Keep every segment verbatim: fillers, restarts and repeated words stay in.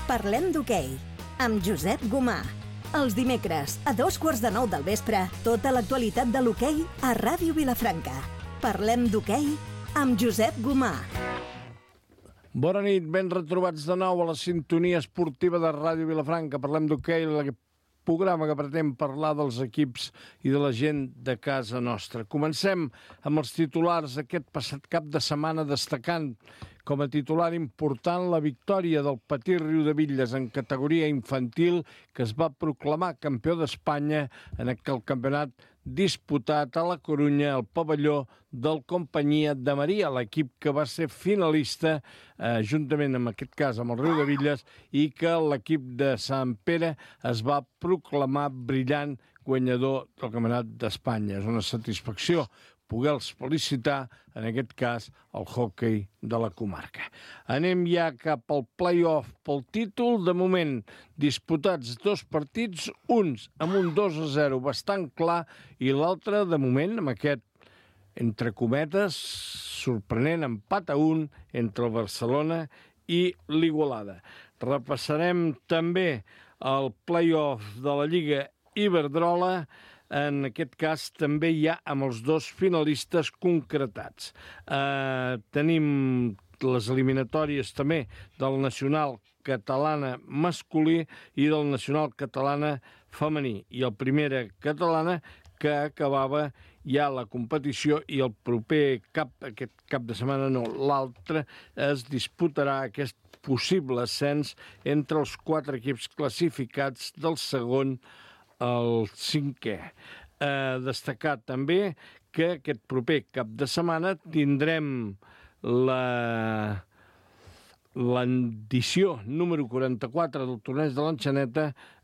Parlem d'hoquei, amb Josep Gomà. Els dimecres, a dos quarts de nou del vespre, tota l'actualitat de l'hoquei a Ràdio Vilafranca. Parlem d'hoquei amb Josep Gomà. Bona nit, ben retrobats de nou a la sintonia esportiva de Ràdio Vilafranca. Parlem d'hoquei, el programa que pretén parlar dels equips i de la gent de casa nostra. Comencem amb els titulars aquest passat cap de setmana, destacant com a titular important la victòria del Petit Riudebitlles en categoria infantil, que es va proclamar campió d'Espanya en aquell campionat disputat a la Corunya, al pavelló del Companyia de Maria, l'equip que va ser finalista, eh, juntament en aquest cas amb el Riudebitlles, i que l'equip de Sant Pere es va proclamar brillant guanyador del campionat d'Espanya. És una satisfacció poder-los felicitar, en aquest cas, el hoquei de la comarca. Anem ja cap al play-off pel títol. De moment, disputats dos partits, uns amb un dos a zero bastant clar, i l'altre, de moment, amb aquest, entre cometes, sorprenent empat a un entre el Barcelona i l'Igualada. Repassarem també el play-off de la Lliga Iberdrola. En aquest cas també hi ha amb els dos finalistes concretats. Eh, tenim les eliminatòries també del Nacional Catalana masculí i del Nacional Catalana femení. I el Primera Catalana, que acabava ja la competició, i el proper cap, aquest cap de setmana no, l'altre, es disputarà aquest possible ascens entre els quatre equips classificats del segon el cinquè. Eh, destacar també que aquest proper cap de setmana tindrem la l'edició número quaranta-quatre del torneig de l'Enxaneta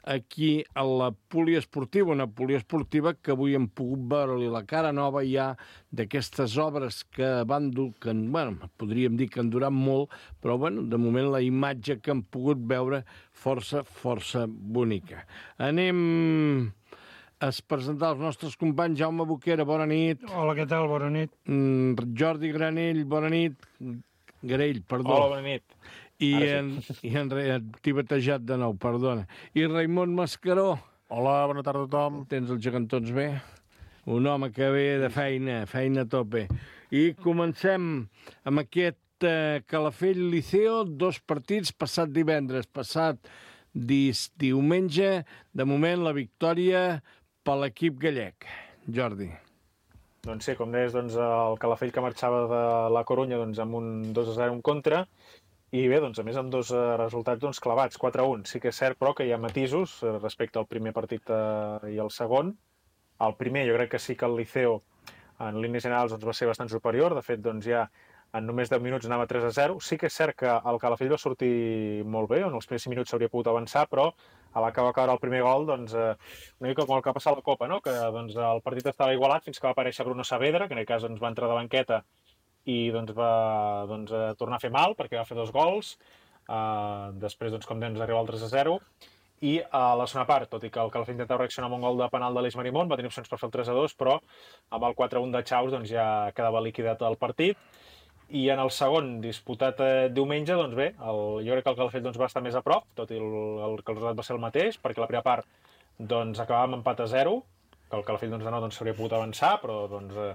aquí a la poliesportiva, una poliesportiva que avui hem pogut veure-li la cara nova ja d'aquestes obres que van dur, que, bueno, podríem dir que han durat molt, però bueno, de moment la imatge que hem pogut veure força, força bonica. Anem a presentar els nostres companys. Jaume Boquera, bona nit. Hola, què tal? Bona nit. Mm, Jordi Granell, bona nit. Garell, perdó. Hola, bona nit. I en, i en t'he batejat de nou, perdona. I Raimon Mascaró. Hola, bona tarda a tothom. Tens els gegantons bé? Un home que ve de feina, feina a tope. I comencem amb aquest eh, Calafell Liceo, dos partits, passat divendres, passat dis, diumenge. De moment, la victòria per l'equip gallec. Jordi. Doncs sí, com deies, doncs, el Calafell que marxava de la Corunya doncs, amb un dos a zero en contra, i bé, doncs, a més amb dos resultats doncs, clavats, quatre a un. Sí que és cert, però, que hi ha matisos respecte al primer partit eh, i al segon. El primer, jo crec que sí que el Liceo, en línies generals, doncs, va ser bastant superior. De fet, doncs, ja en només deu minuts anava tres a zero. Sí que és cert que el Calafell va sortir molt bé, en els primers cinc minuts s'hauria pogut avançar, però a la que va caure el primer gol, doncs, eh, una mica com el que va passar a la Copa, no? Que doncs, el partit estava igualat fins que va aparèixer Bruno Saavedra, que en aquest cas doncs, va entrar de banqueta i doncs, va doncs, a tornar a fer mal, perquè va fer dos gols. Uh, després, doncs, com dèiem, arriba al tres a zero. I a la segona part, tot i que el Calafell intentava reaccionar amb un gol de penal de l'Eix Marimón, va tenir opcions per fer el tres a dos, però amb el quatre a un de Chaus doncs, ja quedava liquidat el partit. I en el segon, disputat eh, diumenge, doncs bé, el, jo crec que el Calafell doncs, va estar més a prop, tot i el, el, que el resultat va ser el mateix, perquè la primera part doncs, acabava amb empat a zero, que el Calafell doncs, de nou s'hauria doncs, pogut avançar, però doncs, eh,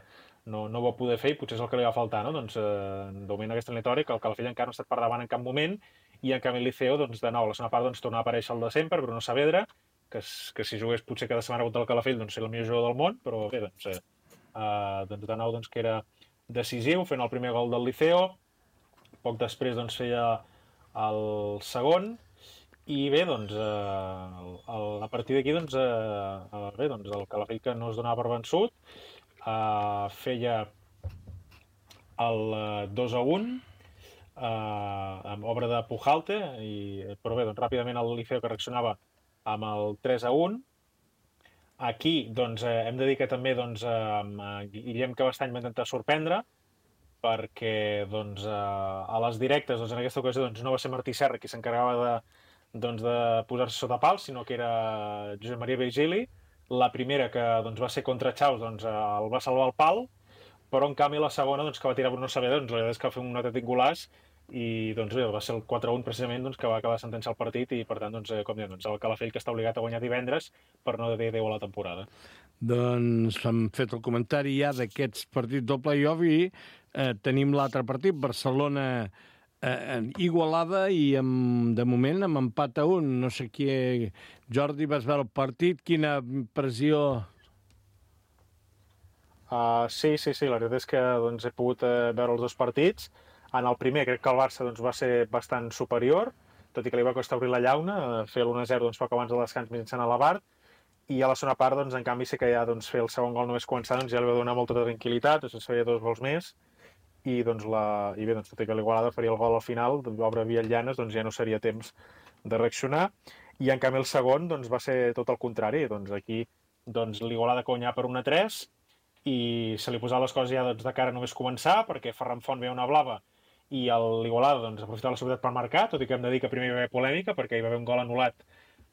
no, no ho va poder fer i potser és el que li va faltar, no? Doncs, eh, de moment aquesta eliminatòria, que el Calafell encara no ha estat per davant en cap moment, i en canvi el Liceo, doncs, de nou, a la segona part doncs, torna a aparèixer el de sempre, Bruno Saavedra, que, que si jugués potser cada setmana contra el Calafell doncs, ser el millor jugador del món, però bé, doncs, eh, eh, doncs de nou doncs, que era decisiu, fent el primer gol del Liceo. Poc després doncs, feia el segon, i bé, doncs, eh, el, a partir d'aquí doncs, eh, bé, doncs, el Calafell que no es donava per vençut, eh, feia el dos a un, eh, amb obra de Pujalte, i, però bé, doncs, ràpidament el Liceo que reaccionava amb el tres a un. Aquí doncs, eh, hem de dir que també doncs, eh, Guillem Cabestany va intentar sorprendre, perquè doncs, eh, a les directes doncs, en aquesta ocasió doncs, no va ser Martí Serra qui s'encarregava de, doncs, de posar-se sota pal, sinó que era Josep Maria Virgili. La primera, que doncs, va ser contra Chaus, doncs, eh, el va salvar el pal, però en canvi la segona, doncs, que va tirar Bruno Saavedra, doncs, la veritat és que va fer un autèntic golaç i doncs bé, va ser el quatre a un precisament doncs, que va acabar sentenciar el partit i per tant, doncs, com dèiem, doncs, el Calafell que està obligat a guanyar divendres per no dir adéu a la temporada. Doncs hem fet el comentari ja d'aquests partits del play-off i eh, tenim l'altre partit, Barcelona eh, Igualada, i amb, de moment amb empat a un. No sé qui... Jordi, vas veure el partit? Quina impressió? Uh, sí, sí, sí, la veritat és que doncs, he pogut uh, veure els dos partits. En el primer crec que el Barça doncs, va ser bastant superior, tot i que li va costar obrir la llauna, fer l'un a zero doncs, poc abans del descans mitjançant a l'Abart, i a la segona part, doncs, en canvi, sí que ja doncs, fer el segon gol només començar doncs, ja li va donar molta tranquil·litat, doncs, es feia dos gols més, i, doncs, la... I bé, doncs, tot i que l'Igualada faria el gol al final, l'obra Villallanes, doncs ja no seria temps de reaccionar, i en canvi el segon doncs, va ser tot el contrari, doncs aquí doncs, l'Igualada guanyar per un a tres, i se li posava les coses ja doncs, de cara només començar, perquè Ferran Font veia una blava, i l'Igualada doncs, aprofitava la seguretat per marcar, tot i que hem de dir que primer hi va haver polèmica, perquè hi va haver un gol anul·lat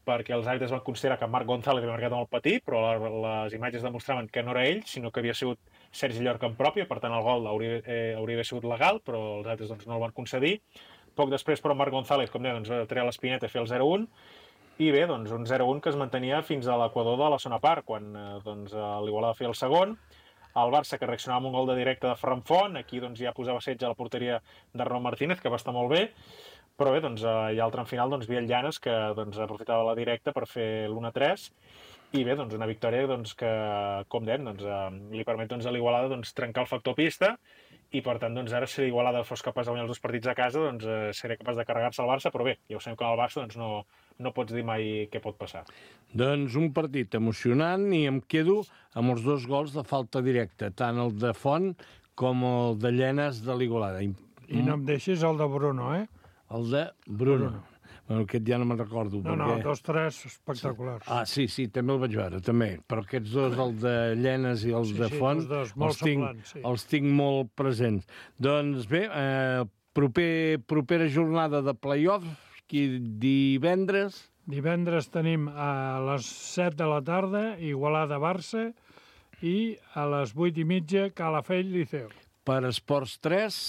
perquè els àrbitres van considerar que Marc González havia marcat molt petit, però les imatges demostraven que no era ell, sinó que havia sigut Sergi Llorca en pròpia, per tant el gol hauria, eh, hauria d'haver sigut legal, però els àrbitres doncs, no el van concedir. Poc després, però, Marc González, com deia, doncs, va treure l'espineta i fer el zero a un, i bé, doncs, un zero a un que es mantenia fins a l'equador de la segona part, quan eh, doncs, l'Igualada feia el segon. El Barça, que reaccionava amb un gol de directe de Ferran Font, aquí doncs, ja posava setge a la porteria d'Arnau Martínez, que va estar molt bé, però bé, doncs, i al tram final, doncs, Villallanes, que doncs, aprofitava la directa per fer l'un a tres, i bé, doncs, una victòria doncs, que, com dèiem, doncs, li permet doncs, a l'Igualada doncs, trencar el factor pista, i per tant, doncs, ara, si l'Igualada fos capaç de guanyar els dos partits a casa, doncs, eh, seria capaç de carregar-se el Barça, però bé, ja ho sabem que al Barça doncs, no, no pots dir mai què pot passar. Doncs un partit emocionant, i em quedo amb els dos gols de falta directa, tant el de Font com el de Llenes de l'Igualada. I, I no em deixis el de Bruno, eh? El de Bruno. Bruno. Bueno, aquest ja no me'n recordo. No, perquè... no, dos, tres espectaculars. Ah, sí, sí, també el vaig veure, també. Però aquests dos, el de Llenes i el sí, de sí, Font, dos, molt els, tinc, semblants, sí. els tinc molt presents. Doncs bé, eh, proper, propera jornada de play-off, qui divendres... Divendres tenim a les set de la tarda Igualada-Barça i a les vuit i mitja Calafell-Liceu. Per Esports tres...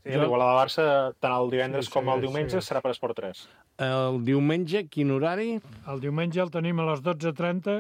Sí, l'Igualada-Barça, tant el divendres sí, com el sí, diumenge, sí. serà per Esport tres. El diumenge, quin horari? El diumenge el tenim a les dotze trenta,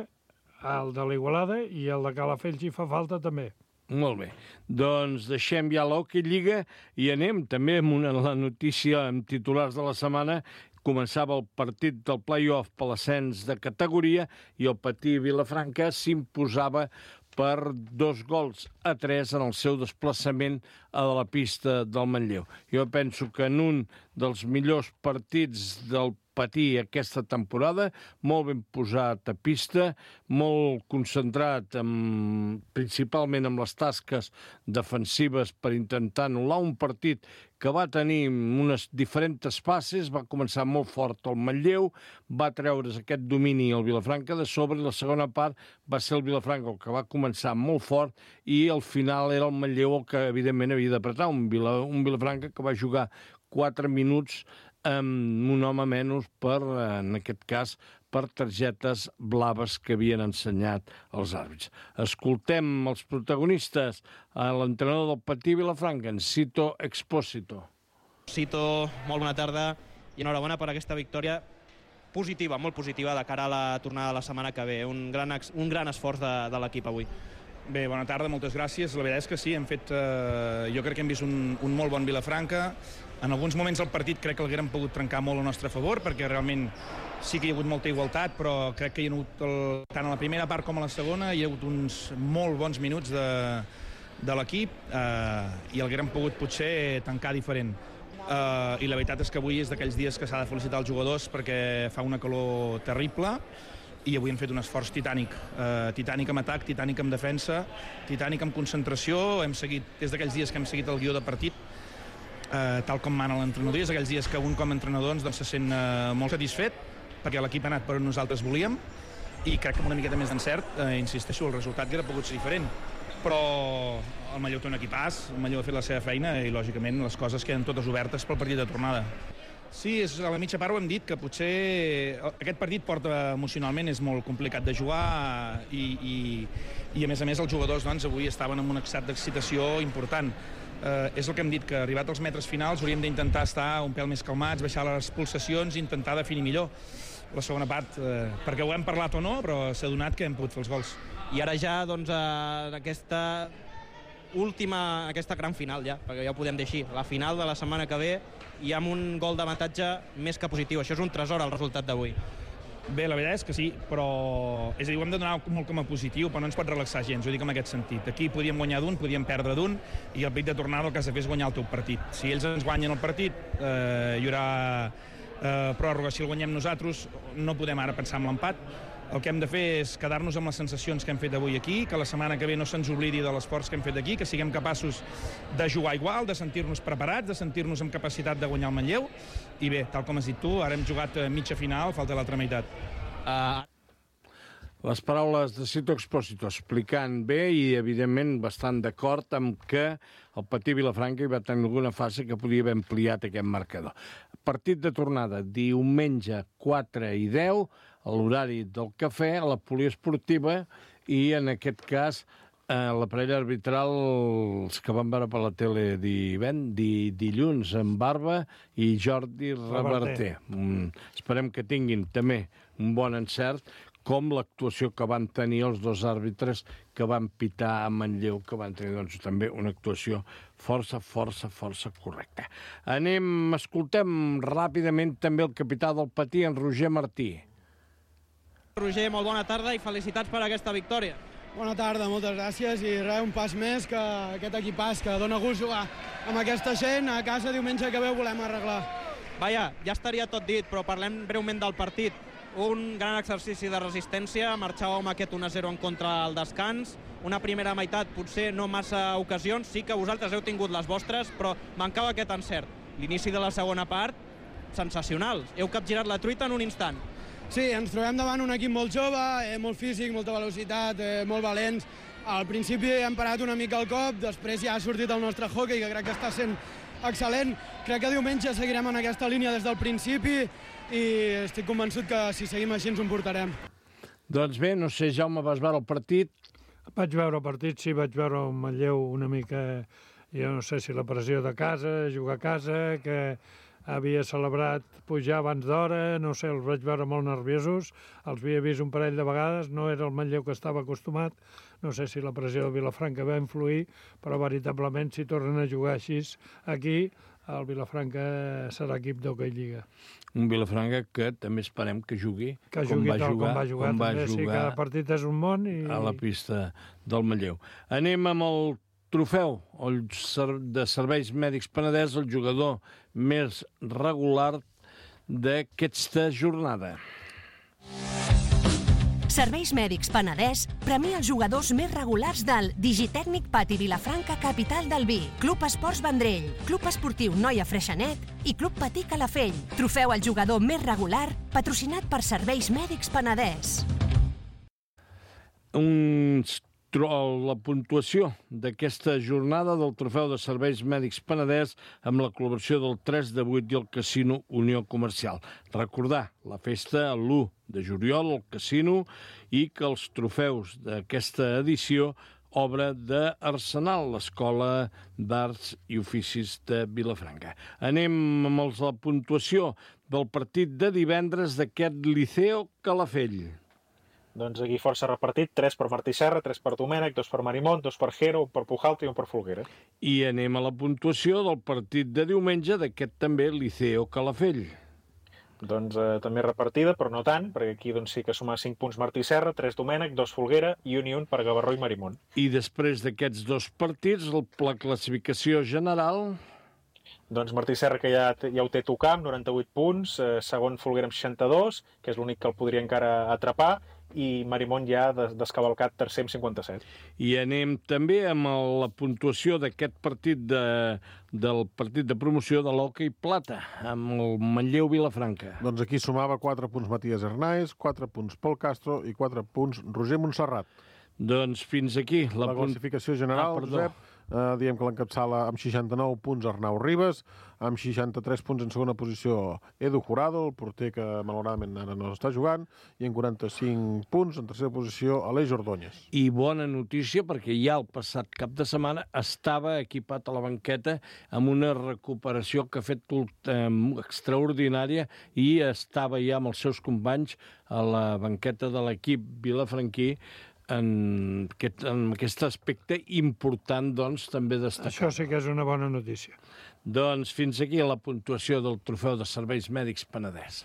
el de l'Igualada, i el de Calafell, si fa falta, també. Molt bé. Doncs deixem ja l'Hockey Lliga i anem també amb una la notícia amb titulars de la setmana. Començava el partit del play-off per l'ascens de categoria i el Patí Vilafranca s'imposava per dos gols a tres en el seu desplaçament a la pista del Manlleu. Jo penso que en un dels millors partits del Patí aquesta temporada, molt ben posat a pista, molt concentrat en, principalment en les tasques defensives per intentar anul·lar un partit que va tenir unes diferents fases, va començar molt fort el Manlleu, va treure's aquest domini al Vilafranca de sobre, i la segona part va ser el Vilafranca el que va començar molt fort, i al final era el Manlleu el que evidentment havia d'apretar, un, Vila, un Vilafranca que va jugar quatre minuts amb un home menys per, en aquest cas, per targetes blaves que havien ensenyat els àrbits. Escoltem els protagonistes, a l'entrenador del Patí Vilafranca, en Cito Expósito. Cito, molt bona tarda i enhorabona per aquesta victòria positiva, molt positiva, de cara a la tornada de la setmana que ve. Un gran, un gran esforç de, de l'equip avui. Bé, bona tarda, moltes gràcies. La veritat és que sí, hem fet, eh, jo crec que hem vist un, un molt bon Vilafranca. En alguns moments del partit crec que l'haguérem pogut trencar molt al nostre favor, perquè realment sí que hi ha hagut molta igualtat, però crec que hi ha hagut, el, tant a la primera part com a la segona, hi ha hagut uns molt bons minuts de, de l'equip eh, i l'haguérem pogut potser tancar diferent. Eh, I la veritat és que avui és d'aquells dies que s'ha de felicitar els jugadors perquè fa una calor terrible, i avui hem fet un esforç titànic, eh, titànic amb atac, titànic amb defensa, titànic amb concentració. Hem seguit, des d'aquells dies que hem seguit el guió de partit, eh, tal com mana l'entrenador, és aquells dies que un com a entrenador doncs, se sent eh, molt satisfet, perquè l'equip ha anat per on nosaltres volíem, i crec que amb una miqueta més d'encert, eh, insisteixo, el resultat hauria pogut ser diferent. Però el Manlleu té un equipàs, el Manlleu ha fet la seva feina i, lògicament, les coses queden totes obertes pel partit de tornada. Sí, és, a la mitja part ho hem dit, que potser aquest partit porta emocionalment, és molt complicat de jugar i, i, i a més a més els jugadors doncs, avui estaven en un estat d'excitació important. eh, és el que hem dit, que arribat als metres finals hauríem d'intentar estar un pèl més calmats, baixar les pulsacions i intentar definir millor la segona part, eh, perquè ho hem parlat o no, però s'ha donat que hem pogut fer els gols. I ara ja, doncs, en aquesta última, aquesta gran final ja, perquè ja ho podem dir així, la final de la setmana que ve, i amb un gol d'avantatge més que positiu. Això és un tresor, el resultat d'avui. Bé, la veritat és que sí, però... És a dir, ho hem de donar molt com a positiu, però no ens pot relaxar gens, ho dic en aquest sentit. Aquí podíem guanyar d'un, podíem perdre d'un, i el partit de tornada el que has de fer és guanyar el teu partit. Si ells ens guanyen el partit, eh, hi haurà eh, pròrroga. Si el guanyem nosaltres, no podem ara pensar en l'empat. El que hem de fer és quedar-nos amb les sensacions que hem fet avui aquí, que la setmana que ve no se'ns oblidi de l'esforç que hem fet aquí, que siguem capaços de jugar igual, de sentir-nos preparats, de sentir-nos amb capacitat de guanyar el Manlleu. I bé, tal com has dit tu, ara hem jugat mitja final, falta l'altra meitat. Uh... Les paraules de Cito Expósito explicant bé i, evidentment, bastant d'acord amb que el Patí Vilafranca hi va tenir alguna fase que podia haver ampliat aquest marcador. Partit de tornada, diumenge quatre i deu, a l'horari del cafè, a la poliesportiva, i en aquest cas eh, la parella arbitral, els que van veure per la tele divent, di, dilluns, en Barba i Jordi Reverter. Mm, esperem que tinguin també un bon encert, com l'actuació que van tenir els dos àrbitres que van pitar a Manlleu, que van tenir doncs, també una actuació força, força, força correcta. Anem, escoltem ràpidament també el capità del Patí, en Roger Martí. Roger, molt bona tarda i felicitats per aquesta victòria. Bona tarda, moltes gràcies, i res, un pas més que aquest equipàs que dona gust jugar amb aquesta gent. A casa diumenge que ve ho volem arreglar. Vaja, ja estaria tot dit, però parlem breument del partit. Un gran exercici de resistència, marxàveu amb aquest un a zero en contra al descans, una primera meitat, potser no massa ocasions, sí que vosaltres heu tingut les vostres, però mancava aquest encert. L'inici de la segona part, sensacional. Heu capgirat la truita en un instant. Sí, ens trobem davant un equip molt jove, eh, molt físic, molta velocitat, eh, molt valents. Al principi hem parat una mica el cop, després ja ha sortit el nostre hockey, que crec que està sent excel·lent. Crec que diumenge seguirem en aquesta línia des del principi i estic convençut que si seguim així ens ho portarem. Doncs bé, no sé, Jaume, vas veure el partit? Vaig veure el partit, sí, vaig veure el Manlleu una mica, jo no sé si la pressió de casa, jugar a casa, que havia celebrat pujar abans d'hora, no sé, els vaig veure molt nerviosos, els havia vist un parell de vegades, no era el Manlleu que estava acostumat, no sé si la pressió de Vilafranca va influir, però veritablement si tornen a jugar així aquí, el Vilafranca serà equip d'hoquei lliga. Un Vilafranca que també esperem que jugui, que com jugui va tal jugar, com va jugar, com va també, jugar sí, cada partit és un món i... a la pista del Manlleu. Anem amb el trofeu el de Serveis Mèdics Penedès, el jugador més regular d'aquesta jornada. Serveis Mèdics Penedès premia els jugadors més regulars del Digitècnic Pati Vilafranca Capital del Vi, Club Esports Vendrell, Club Esportiu Noia Freixenet i Club Patí Calafell. Trofeu al jugador més regular, patrocinat per Serveis Mèdics Penedès. Un... La puntuació d'aquesta jornada del Trofeu de Serveis Mèdics Penedès amb la col·laboració del tres de vuit i el Casino Unió Comercial. Recordar la festa l'u de juliol al Casino i que els trofeus d'aquesta edició obra d'Arsenal, l'Escola d'Arts i Oficis de Vilafranca. Anem amb la puntuació del partit de divendres d'aquest Liceo Calafell. Doncs aquí força repartit, tres per Martí Serra, tres per Domènec, dos per Marimont, dos per Jero, un per Pujalta i un per Folguera. I anem a la puntuació del partit de diumenge d'aquest també Liceo Calafell. Doncs eh, també repartida, però no tant, perquè aquí doncs, sí que suma cinc punts Martí Serra, tres Domènec, dos Folguera i un i un per Gavarró i Marimont. I després d'aquests dos partits, la classificació general... Doncs Martí Serra, que ja, ja ho té tocar, amb noranta-vuit punts, eh, segon Folguera amb seixanta-dos, que és l'únic que el podria encara atrapar, i Marimont ja descavalcat tercer amb cinquanta-set. I anem també amb la puntuació d'aquest partit de, del partit de promoció de l'hoquei plata, amb el Manlleu Vilafranca. Doncs aquí sumava quatre punts Matías Hernáez, quatre punts Pol Castro i quatre punts Roger Montserrat. Doncs fins aquí. La, la classificació general, ah, Josep, Eh, diem que l'encapçala amb seixanta-nou punts Arnau Ribas, amb seixanta-tres punts en segona posició Edu Jurado, el porter que malauradament ara no està jugant, i en quaranta-cinc punts en tercera posició Aleix Ordóñez. I bona notícia, perquè ja el passat cap de setmana estava equipat a la banqueta amb una recuperació que ha fet eh, extraordinària i estava ja amb els seus companys a la banqueta de l'equip vilafranquí en aquest, en aquest aspecte important, doncs, també destacar. Això sí que és una bona notícia. Doncs fins aquí la puntuació del Trofeu de Serveis Mèdics Penedès.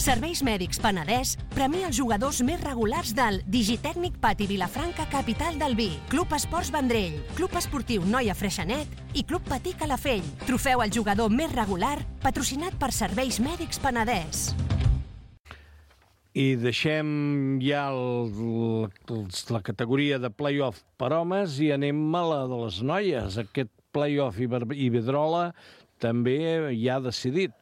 Serveis Mèdics Penedès premia els jugadors més regulars del Digitècnic Pati Vilafranca, capital del vi, Club Esports Vendrell, Club Esportiu Noia Freixenet i Club Patí Calafell. Trofeu al jugador més regular, patrocinat per Serveis Mèdics Penedès. I deixem ja el, el, la categoria de play-off per homes i anem a la de les noies. Aquest play-off Iberdrola també ja ha decidit.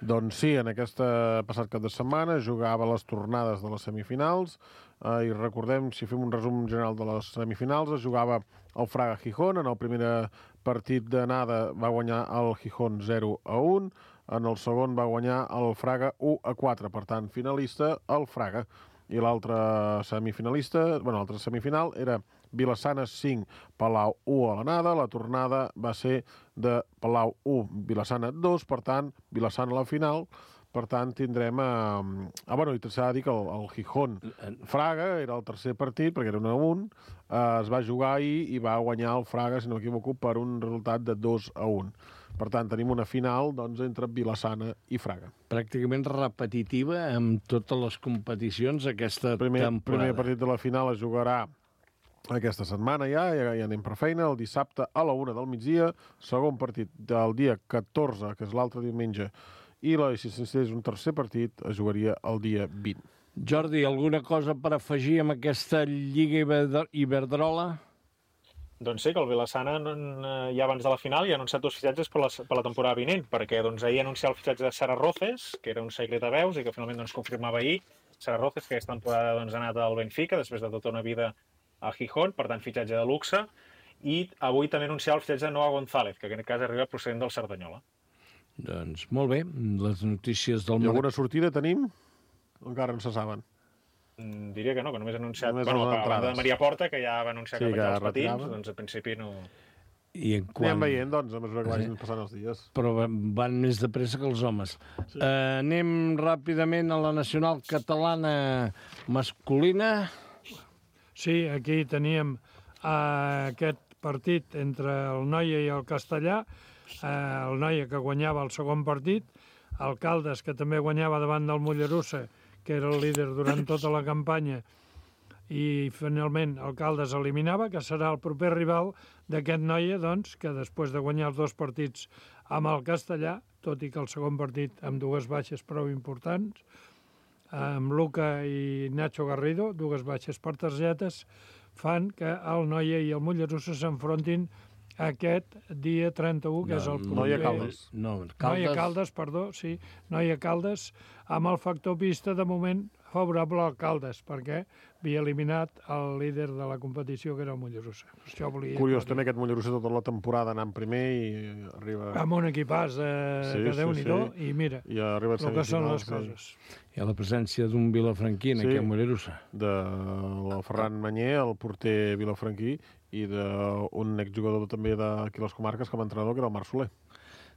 Doncs sí, en aquest passat cap de setmana jugava les tornades de les semifinals eh, i recordem, si fem un resum general de les semifinals, es jugava el Fraga Gijón. En el primer partit d'anada va guanyar el Gijón zero a un, en el segon va guanyar el Fraga u a quatre, per tant, finalista el Fraga. I l'altre semifinalista, bueno, l'altre semifinal era Vilassana cinc, Palau u a l'anada. La tornada va ser de Palau u, Vilassana dos, per tant, Vilassana a la final. Per tant, tindrem... Eh... Ah, bueno, i s'ha de dir que el, el Gijón Fraga era el tercer partit, perquè era un a un, eh, es va jugar ahir i va guanyar el Fraga, si no m'equivoco, per un resultat de dos a un. Per tant, tenim una final doncs, entre Vilassana i Fraga. Pràcticament repetitiva amb totes les competicions aquesta primer, temporada. El primer partit de la final es jugarà aquesta setmana ja, ja, ja anem per feina, el dissabte a la una del migdia, segon partit del dia catorze, que és l'altre diumenge, i la, si s'instés un tercer partit, es jugaria el dia vint. Jordi, alguna cosa per afegir amb aquesta Lliga Iberdrola? Doncs sí, que el Vilassana ja abans de la final ja ha anunciat dos fitxatges per la, per la temporada vinent, perquè doncs, ahir anunciava el fitxatge de Sara Roces, que era un secret a veus i que finalment doncs, confirmava ahir. Sara Roces, que aquesta temporada doncs, ha anat al Benfica, després de tota una vida a Gijón, per tant, fitxatge de luxe. I avui també anunciava el fitxatge de Noa González, que en aquest cas arriba procedent del Cerdanyola. Doncs molt bé, les notícies del... I alguna sortida tenim? Encara no se saben. Diria que no, que només ha anunciat... Només bueno, a banda de Maria Porta, que ja va anunciar sí, que ja els patins, retirava. doncs a principi no... I en quan... Anem veient, doncs, a mesura que vagin sí. passant els dies. Però van més de pressa que els homes. Sí. Uh, anem ràpidament a la nacional catalana masculina. Sí, aquí teníem uh, aquest partit entre el Noia i el Castellà. Uh, el Noia que guanyava el segon partit, el Caldes que també guanyava davant del Mollerussa, que era el líder durant tota la campanya, i finalment el Caldes eliminava, que serà el proper rival d'aquest Noia, doncs, que després de guanyar els dos partits amb el Castellà, tot i que el segon partit amb dues baixes prou importants, amb Luca i Nacho Garrido, dues baixes per targetes, fan que el Noia i el Mollerussa s'enfrontin aquest dia trenta-u, que no, és el proper... Noia Caldes. No, Caldes. Noia Caldes, perdó, sí. Noia Caldes, amb el factor pista, de moment, favorable al Caldes, perquè havia eliminat el líder de la competició, que era el Mollerussa. Això volia Curiós, també aquest Mollerussa tota la temporada anant primer i arriba... Amb un equipàs de sí, que Déu-n'hi-do, sí. i mira, I arriba el que són les sí. coses. Hi ha la presència d'un vilafranquí en sí, aquest Mollerussa. De el Ferran Manyer, el porter vilafranquí, i d'un exjugador també d'aquí les comarques com a entrenador, que era el Marc Soler.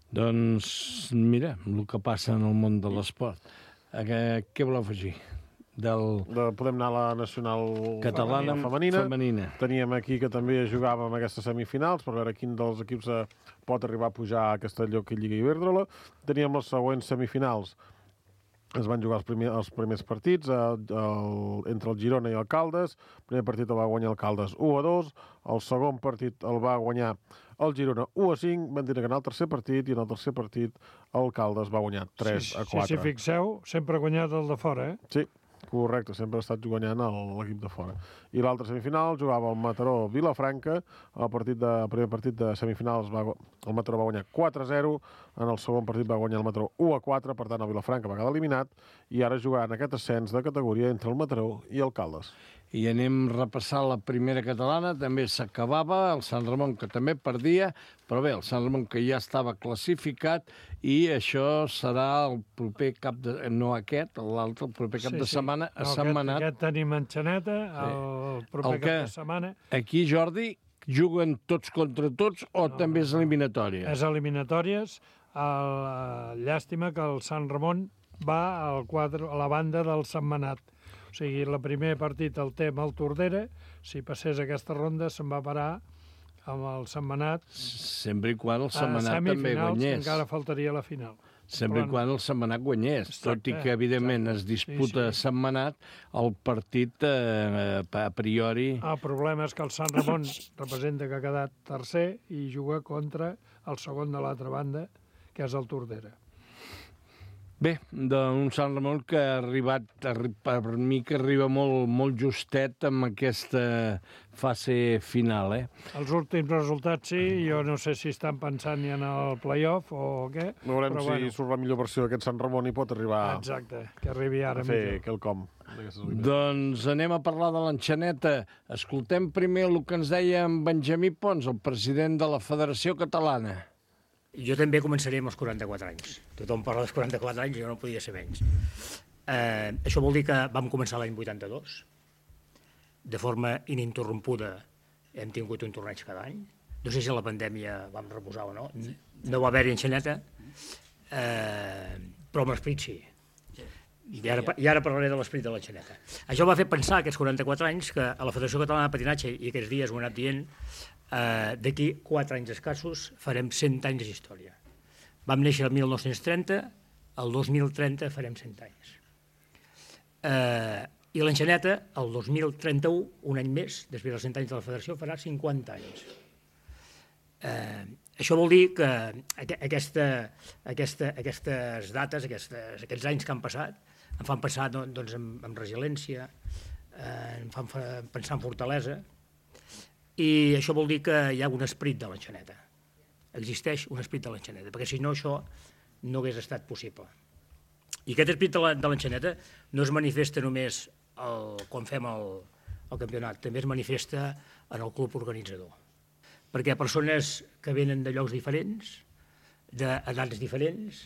Doncs mira, el que passa en el món de l'esport. Què, què voleu afegir? Del... De, podem anar a la nacional catalana femenina. femenina. Teníem aquí que també jugàvem aquestes semifinals per veure quin dels equips pot arribar a pujar a aquesta lloc Lliga Iberdrola. Teníem les següents semifinals. Es van jugar els, primer, els primers partits el, el, entre el Girona i el Caldes. El primer partit el va guanyar el Caldes u a dos. El segon partit el va guanyar el Girona u a cinc. Van dir que en el tercer partit, i en el tercer partit el Caldes va guanyar tres a quatre. Si s'hi fixeu, sempre ha guanyat el de fora, eh? Sí. Correcte, sempre ha estat guanyant l'equip de fora. I l'altra semifinal jugava el Mataró Vilafranca. El, partit de, el primer partit de semifinals va, el Mataró va guanyar quatre a zero. En el segon partit va guanyar el Mataró u a quatre. Per tant, el Vilafranca va quedar eliminat. I ara jugaran aquest ascens de categoria entre el Mataró i el Caldes. i anem repassant la primera catalana. També s'acabava, el Sant Ramon, que també perdia, però bé, el Sant Ramon que ja estava classificat, i això serà el proper cap de... no aquest, l'altre, el proper cap Sí, de sí. setmana a No, Sentmenat. Aquest, aquest tenim en Xaneta, el proper El que- cap de setmana. Aquí, Jordi, juguen tots contra tots o No, també no, és no. eliminatòria? És eliminatòries. El, eh, llàstima que el Sant Ramon va al quadre, a la banda del Sentmenat. O sigui, el primer partit el té amb el Tordera. Si passés aquesta ronda se'n va parar amb el Sentmenat Sempre i quan el a Sentmenat també semifinals, que guanyés. encara faltaria la final. Sempre i Però no. quan el Sentmenat guanyés. Tot i Exacte, que, evidentment, exacte. es disputa Sí, sí. Sentmenat, el partit, eh, a priori... El problema és que el Sant Ramon representa que ha quedat tercer i juga contra el segon de l'altra banda, que és el Tordera. Bé, d'un Sant Ramon que ha arribat, arri- per mi que arriba molt, molt justet amb aquesta fase final, eh? Els últims resultats sí, jo no sé si estan pensant ja en el play-off o què. Veurem però si bueno. surt la millor versió d'aquest Sant Ramon i pot arribar Exacte, que arribi a ara fer millor. quelcom. d'aquestes eliminatòries. Doncs anem a parlar de l'enxaneta. Escoltem primer el que ens deia en Benjamí Pons, el president de la Federació Catalana. Jo també començaré amb els quaranta-quatre anys. Tothom parla dels quaranta-quatre anys, jo no podia ser menys. Eh, això vol dir que vam començar l'any vuitanta-dos. De forma ininterrompuda hem tingut un torneig cada any. No sé si a la pandèmia vam reposar o no. No va haver-hi enxaneta, eh, però amb l'esperit sí. I ara, I ara parlaré de l'esperit de l'enxaneta. Això va fer pensar aquests quaranta-quatre anys que a la Federació Catalana de Patinatge, i aquests dies ho he anat dient, eh, d'aquí quatre anys escassos farem cent anys d'història. Vam néixer el mil nou-cents trenta, el dos mil trenta farem cent anys. Eh, I l'enxaneta, el dos mil trenta-u, un any més, després dels cent anys de la Federació, farà cinquanta anys. Eh, això vol dir que aquesta, aquesta, aquestes dates, aquestes, aquests anys que han passat, em fan pensar doncs, en, en resiliència, eh, em fan pensar en fortalesa, i això vol dir que hi ha un esperit de l'enxaneta. Existeix un esperit de l'enxaneta, perquè si no això no hagués estat possible. I aquest esperit de l'enxaneta no es manifesta només el, quan fem el, el campionat, també es manifesta en el club organitzador. Perquè persones que venen de llocs diferents, d'edats diferents,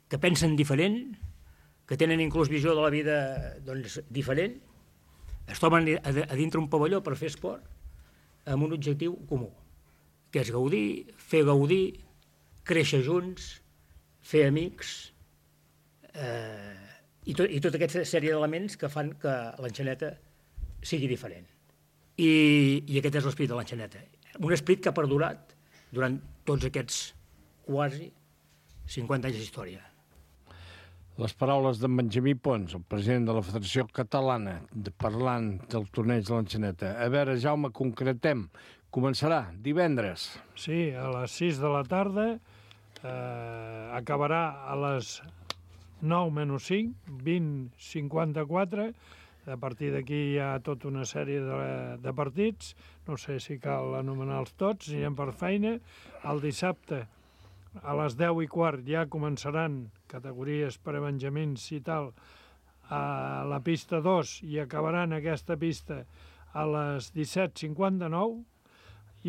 que pensen diferent, que tenen inclús visió de la vida doncs, diferent, es troben a, a dintre un pavelló per fer esport amb un objectiu comú, que és gaudir, fer gaudir, créixer junts, fer amics, eh, i, tot, i tota aquesta sèrie d'elements que fan que l'enxaneta sigui diferent. I, i aquest és l'esperit de l'enxaneta. Un esperit que ha perdurat durant tots aquests quasi cinquanta anys d'història. Les paraules d'en Benjamí Pons, el president de la Federació Catalana, de, parlant del torneig de l'enxaneta. A veure, Jaume, concretem. Començarà divendres. Sí, a les sis de la tarda, eh, acabarà a les nou menys cinc, vint cinquanta-quatre. A partir d'aquí hi ha tota una sèrie de, de partits, no sé si cal anomenar-los tots, anirem per feina. El dissabte, a les deu i quart, ja començaran categories per a benjamins i tal, a la pista dos, i acabaran aquesta pista a les disset cinquanta-nou,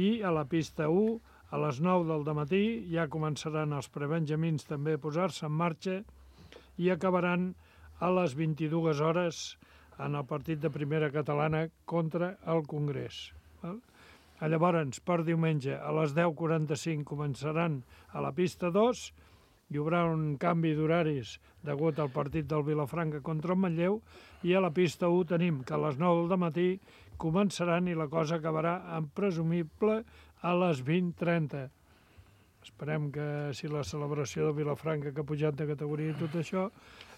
i a la pista u, a les nou del dematí, ja començaran els prebenjamins també a posar-se en marxa i acabaran a les vint-i-dues hores en el partit de primera catalana contra el Congrés. Llavors, per diumenge, a les deu quaranta-cinc començaran a la pista dos, hi haurà un canvi d'horaris degut al partit del Vilafranca contra el Manlleu, i a la pista u tenim que a les nou del matí començaran i la cosa acabarà en presumible a les vint trenta. Esperem que si la celebració de Vilafranca que ha pujat de categoria i tot això,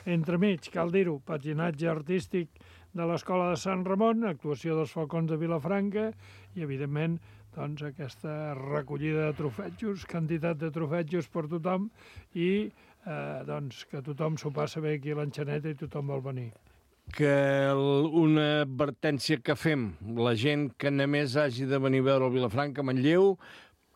entremig, cal dir-ho, patinatge artístic de l'Escola de Sant Ramon, actuació dels Falcons de Vilafranca i, evidentment, doncs, aquesta recollida de trofetjos, quantitat de trofetjos per tothom i eh, doncs, que tothom s'ho passa bé aquí a l'enxaneta i tothom vol venir. Que una advertència que fem, la gent que només hagi de venir a veure el Vilafranca a Manlleu,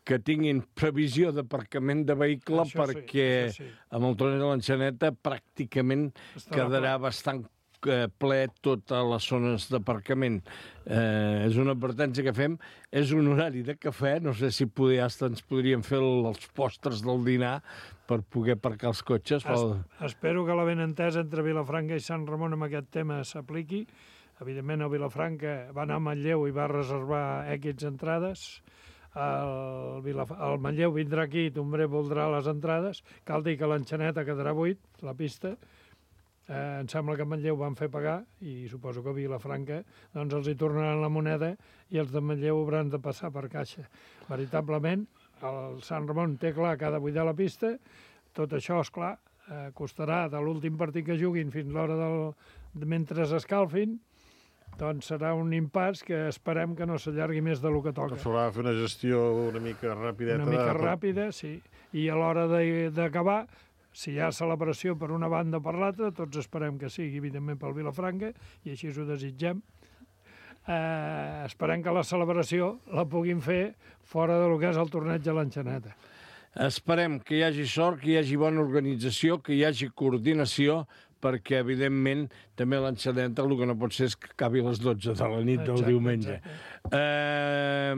que tinguin previsió d'aparcament de vehicle, això perquè sí, sí. amb el torneig de l'enxaneta pràcticament Estarà quedarà ple. bastant ple totes les zones d'aparcament. Eh, és una advertència que fem. És un horari de cafè. No sé si poder, hasta ens podríem fer els postres del dinar per poder aparcar els cotxes. Es, espero que la benentesa entre Vilafranca i Sant Ramon amb aquest tema s'apliqui. Evidentment, el Vilafranca va anar a Manlleu i va reservar èquits entrades. El, Vilaf... el Manlleu vindrà aquí i Tombre voldrà les entrades. Cal dir que l'Enxaneta quedarà buit, la pista. Eh, em sembla que a Manlleu van fer pagar i suposo que a Vilafranca doncs els hi tornaran la moneda i els de Manlleu hauran de passar per caixa. Veritablement, el Sant Ramon té clar que ha de buidar la pista. Tot això, esclar, eh, costarà de l'últim partit que juguin fins l'hora del... mentre s'escalfin. Doncs serà un impàs que esperem que no s'allargui més del que toca. S'haurà de fer una gestió una mica rapideta. Una mica ràpida, sí. I a l'hora d'acabar, si hi ha celebració per una banda o per l'altra, tots esperem que sigui, evidentment, pel Vilafranca, i així ho desitgem. Eh, esperem que la celebració la puguin fer fora del que és el torneig de l'Enxaneta. Esperem que hi hagi sort, que hi hagi bona organització, que hi hagi coordinació, perquè, evidentment, també l'Enxaneta el que no pot ser és que acabi a les dotze de la nit del diumenge. Eh,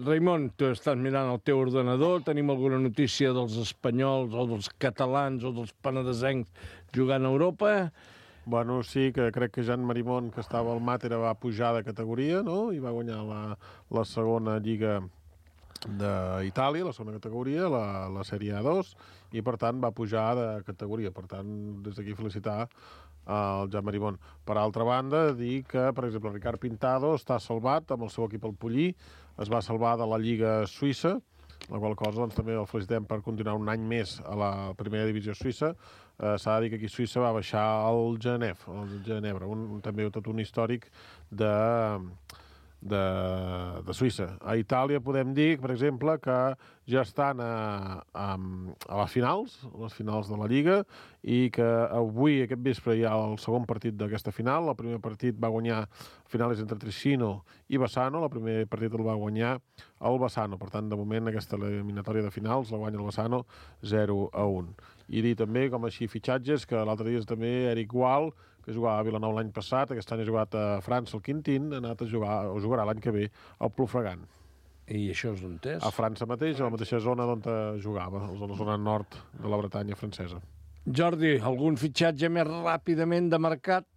Raimon, tu estàs mirant el teu ordenador, tenim alguna notícia dels espanyols o dels catalans o dels penedesencs jugant a Europa? Bueno, sí, que crec que Jan Marimón, que estava al Màtera, va pujar de categoria, no?, i va guanyar la, la segona lliga d'Itàlia, la segona categoria, la, la sèrie A dos, i per tant va pujar de categoria. Per tant, des d'aquí felicitar el Jan Marimón. Per altra banda, dir que, per exemple, Ricard Pintado està salvat amb el seu equip al Pollí, es va salvar de la Lliga Suïssa, la qual cosa doncs, també el felicitem per continuar un any més a la primera divisió suïssa. Eh, S'ha de dir que aquí Suïssa va baixar al Genève, al Ginebra, un, també tot un històric de... De, de Suïssa. A Itàlia podem dir, per exemple, que ja estan a, a, a les finals, a les finals de la Lliga, i que avui, aquest vespre, hi ha el segon partit d'aquesta final. El primer partit va guanyar finals entre Tricino i Bassano, el primer partit el va guanyar el Bassano. Per tant, de moment, aquesta eliminatòria de finals la guanya el Bassano zero a un. I dir també, com així, fitxatges, que l'altre dia és també Eric Gual, que jugava a Vilanova l'any passat, aquest any ha jugat a França, al Quintín, ha anat a jugar, o jugarà l'any que ve, al Plofregant. I això és on és? A França mateix, a la mateixa zona on jugava, a la zona nord de la Bretanya francesa. Jordi, algun fitxatge més ràpidament de mercat?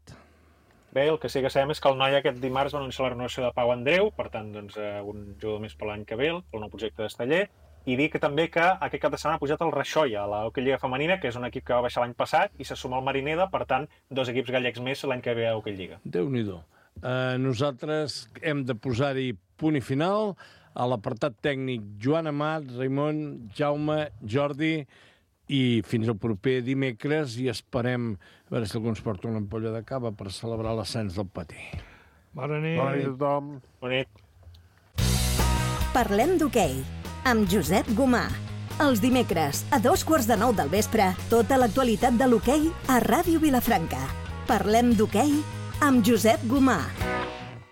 Bé, el que sí que sabem és que el Noi aquest dimarts va anunciar la renovació de Pau Andreu, per tant, doncs, un jugador més per l'any que ve, pel nou projecte d'Esteller, i dir que també que aquest cap de setmana ha pujat el Raixoia, a l'Hockey Lliga Femenina, que és un equip que va baixar l'any passat, i se suma al Marineda, per tant, dos equips gallecs més l'any que ve a Hockey Lliga. Déu-n'hi-do. Uh, nosaltres hem de posar-hi punt i final. A l'apartat tècnic, Joan Amat, Raimon, Jaume, Jordi, i fins al proper dimecres, i esperem a veure si algú ens porta una ampolla de cava per celebrar l'ascens del Patí. Bona nit. Bona nit a tothom. Bona nit. Parlem d'hoquei amb Josep Gomà. Els dimecres, a dos quarts de nou del vespre, tota l'actualitat de l'hoquei a Ràdio Vilafranca. Parlem d'hoquei amb Josep Gomà.